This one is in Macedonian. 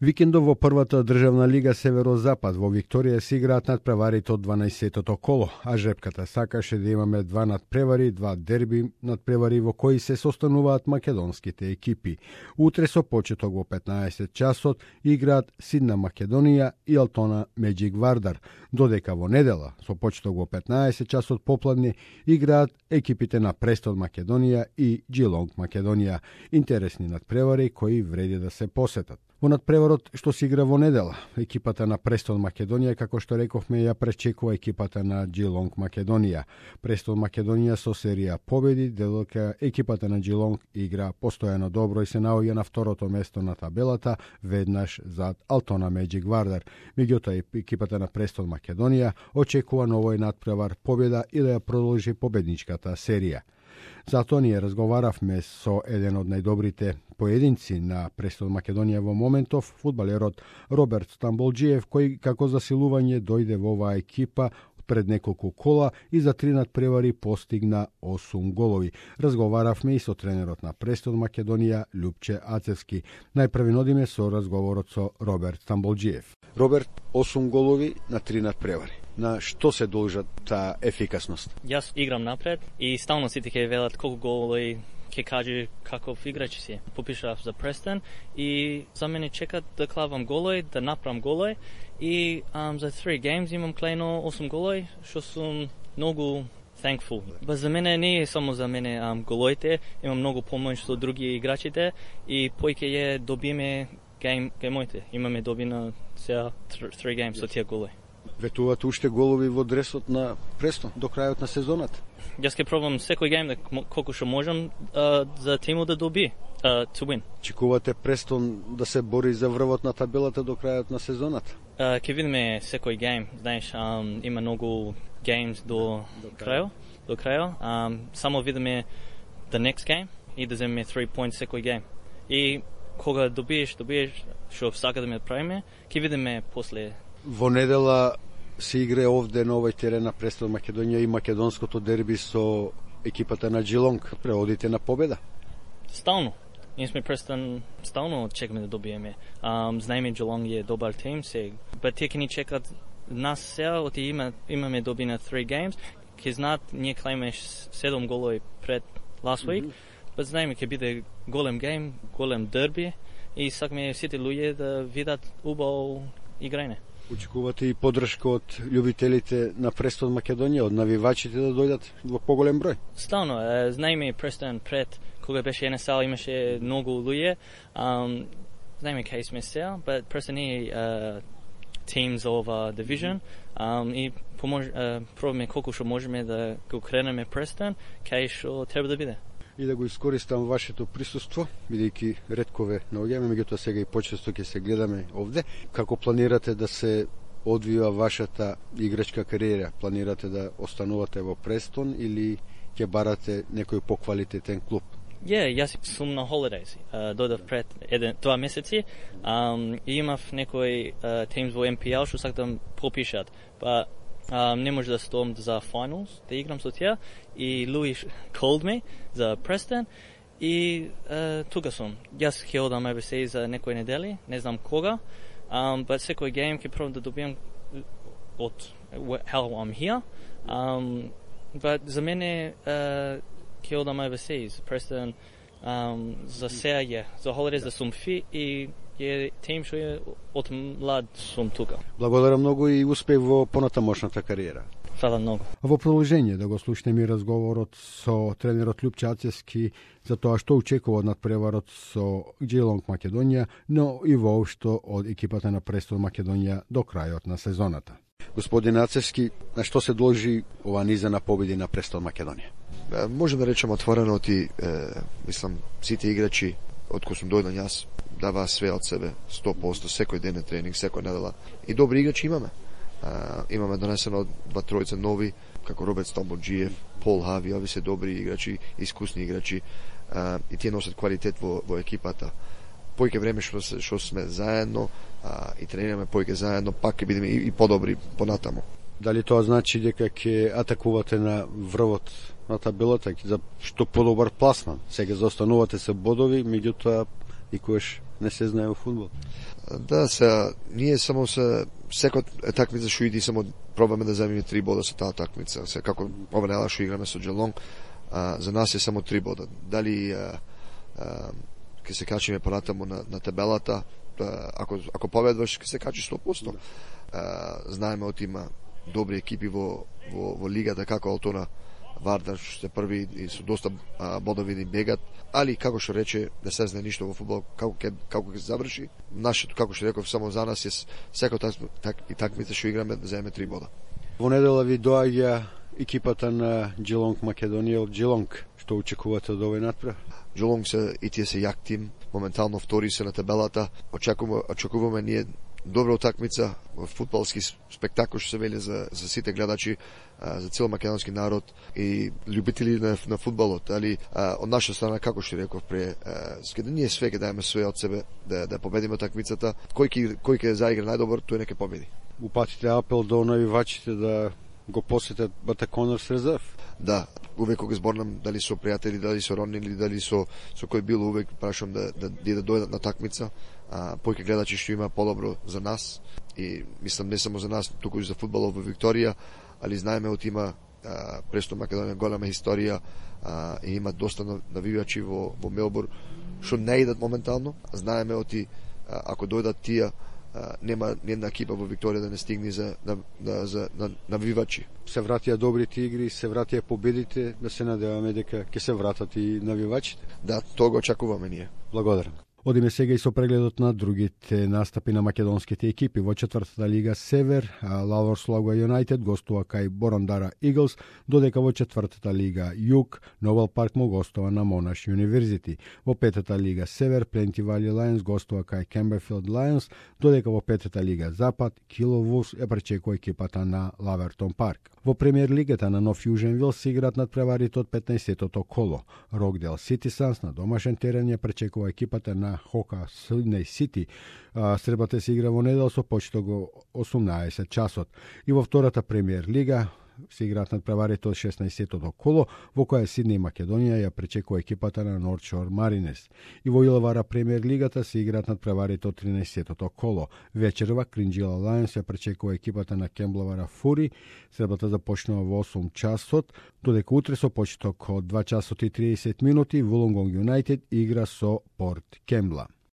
Викендов во првата државна лига Северозапад во Викторија се играат надпреварите од 12-тото коло, а жрепката сакаше да имаме два надпревари, два дерби надпревари во кои се состануваат македонските екипи. Утре со почеток во 15 часот играат Сидна Македонија и Алтона Меджик Вардар, додека во недела со почеток во 15 часот попладне играат екипите на Престон Македонија и Джилонг Македонија. Интересни надпревари кои вреди да се посетат. Во надпреварот што се игра во недела, екипата на Престон Македонија, како што рековме, ја пречекува екипата на Джилонг Македонија. Престон Македонија со серија победи, додека екипата на Джилонг игра постојано добро и се наоѓа на второто место на табелата, веднаш зад Алтона Меджик Вардар. Меѓутоа екипата на Престон Македонија очекува на овој надпревар победа и да ја продолжи победничката серија. Затоа ние разговаравме со еден од најдобрите поединци на Престон Македонија во моментов, фудбалерот Роберт Стамболџиев, кој како засилување дојде во оваа екипа пред неколку кола и за 3 надпревари постигна 8 голови. Разговаравме и со тренерот на Престон Македонија Љупче Ацевски. Најпрви нодиме со разговорот со Роберт Стамболџиев. Роберт, 8 голови на 3 надпревари. На што се должат таа ефикасност? Јас играм напред и стално сите ќе велат колку голови ќе каже каков играч си. Попишав за Престон и за мене чекат да клавам голови, да направам голови и за 3 games имам клено 8 голови, што сум многу thankful. Ба за мене не е само за мене головите, имам многу помош со други играчите и појќе ја добиеме геймоите. Имаме добина сега 3 games со тие голови. Ветуваат уште голови во дресот на Престон до крајот на сезоната? Јас ќе пробам секој гейм колку што можам за тимот да доби, to win. Чекувате Престон да се бори за врвот на табелата до крајот на сезоната? Ќе видиме секој гейм, знаеш, има многу games до крајот. Само видиме the next game и да земеме 3 points секој гейм. И кога добиеш што сака да ме правиме, ќе видиме после. Во недела се игре овде на овој терен на Престон Македонија и македонското дерби со екипата на Джилонг. Преодите на победа? Стално. Ние сме Престон, стално чекаме да добиеме. Знаеме Джилонг е добар тим, but тие ќе ни чекат нас сега, оти имаме добина 3 games, ќе знаат, ние клаиме 7 голови пред last week, but знаеме ќе биде голем гейм, голем дерби и сакаме сите луѓе да видат убаво играње. Очекувате и поддршка од љубителите на Престон Македонија, од навивачите да дојдат во поголем број? Стално, знаеме Престон пред, кога беше NSL имаше многу луѓе, знаеме кај сме сега, but Престон е team за ова division и пробаме колку што можеме да го кренеме Престон, кај што треба да биде. И да го искористам вашето присуство, бидејќи ретко ве наоѓаме, меѓутоа сега и почесто ќе се гледаме овде. Како планирате да се одвива вашата играчка кариера? Планирате да останувате во Престон или ќе барате некој поквалитетен клуб? Јас сум на holidays. Дојдов пред 2 месеци и имав некои teams во MPL што сакам попишат. Па не може да стом за finals, да играм со тие и Луис called me за Престон и тука сум. Јас ќе одам overseas за некои недели, не знам кога, but секој гейм ќе пробам да добијам од how I'm here, but за мене ќе одам overseas. Престон за сега за holidays да сум фи и е тим што е од млад сум тука. Благодарам многу и успех во понатамошната кариера. Фала многу. Во продолжение да го слушнеме и разговорот со тренерот Љупче Ацевски за тоа што очекува од надпреварот со Джилонг Македонија, но и воопшто од екипата на Престон Македонија до крајот на сезоната. Господин Ацевски, на што се должи ова низа на победи на Престон Македонија? Можем да речем отворено ти, мислам, сите играчи од кои сум дојден јас дава све од себе, 100%, секој ден е тренинг, секој недела. И добри играчи имаме. Имаме донесено 2-3 нови, како Роберт Стамболџиев, Пол Хави, ови се добри играчи, искусни играчи, и тие носат квалитет во екипата. Појќе време што сме заедно и тренираме појќе заедно, пак ќе бидеме и подобри понатамо. Дали тоа значи дека ќе атакувате на врвот на табелата за што подобар пласман? Сега заостанувате се бодови, меѓутоа и којаш не се знае во фудбал. Да, ние само секој такмица што иди само пробаме да земиме 3 бода со таа такмица. Како ова недела што играме со Джелонг, за нас е само 3 бода. Дали ќе се качиме понатаму на табелата, ако победваш ќе се качи 100%. Знаеме од има добри екипи во лигата, како Алтона, Вардар, што се први и со доста бодови ни бегат, али како што рече, не се знае ништо во фудбал, како ќе се заврши. Нашето, како што реков, само за нас е секој такмица што играме да земеме 3 бода. Во недела ви доаѓа екипата на Джелонг Македонија од Джелонг. Што очекувате од овој натпрев? Джелонг и тие се јак тим, моментално втори се на табелата. Очекуваме ние добра утакмица, фудбалски спектакл што се вели за сите гледачи, за цел македонски народ и љубители на фудбалот. Али од наша страна, како што реков да ние све ќе дајме све од себе да победиме такмицата. Кој ќе заигра најдобар, тој нека победи. Упатите апел до навивачите да го посетат Бата Конорс резерв? Да, увек кога зборнам, дали со пријатели, дали со роднини, дали со кој било, увек прашам да дојдат на такмица. Појќе гледачи што има подобро за нас и мислам не само за нас, туку и за фудбалот во Викторија, али знаеме од има престо Македонија голема историја и има доста навивачи во Мелбурн што не идат моментално. Знаеме од ако дојдат тие нема една екипа во Викторија да не стигне за навивачи. Се вратија добрите игри, се вратија победите, да се надеваме дека ќе се вратат и навивачите. Да, тоа го очекуваме ние. Благодарам. Одиме сега и со прегледот на другите настапи на македонските екипи. Во четвртата лига Север, Лавор Слога Юнајтед гостува кај Борандара Иглс, додека во четвртата лига Југ, Нобел Парк му гостува на Монаш Юниверзити. Во петата лига Север, Пленти Вали Лајонс гостува кај Кемберфилд Лајонс, додека во петата лига Запад, Кило Вулс пречекува екипата на Лавертон Парк. Во премиер лигата на Нов Јуженвил се играат надпреварите од 15-тото коло. Рокдел Ситисанс на домашен терен ја пречекува екипата на Хока Сиднеј Сити. Средбата се игра во недел со почеток во 18 часот. И во втората премиер лига се играат надпреварите од 16-тото коло, во која Сиднеј Македонија ја пречекува екипата на Норт Шор Маринес. И во Илавара премиер лигата се играат надпреварите од 13-тото коло. Вечерва Кринџила Лајонс ја пречекува екипата на Кемблавара Фури. Средбата започнува во 8 часот, додека утре со почеток од 2 часот и 30 минути Вулонгонг Юнајтед игра со Порт Кембла.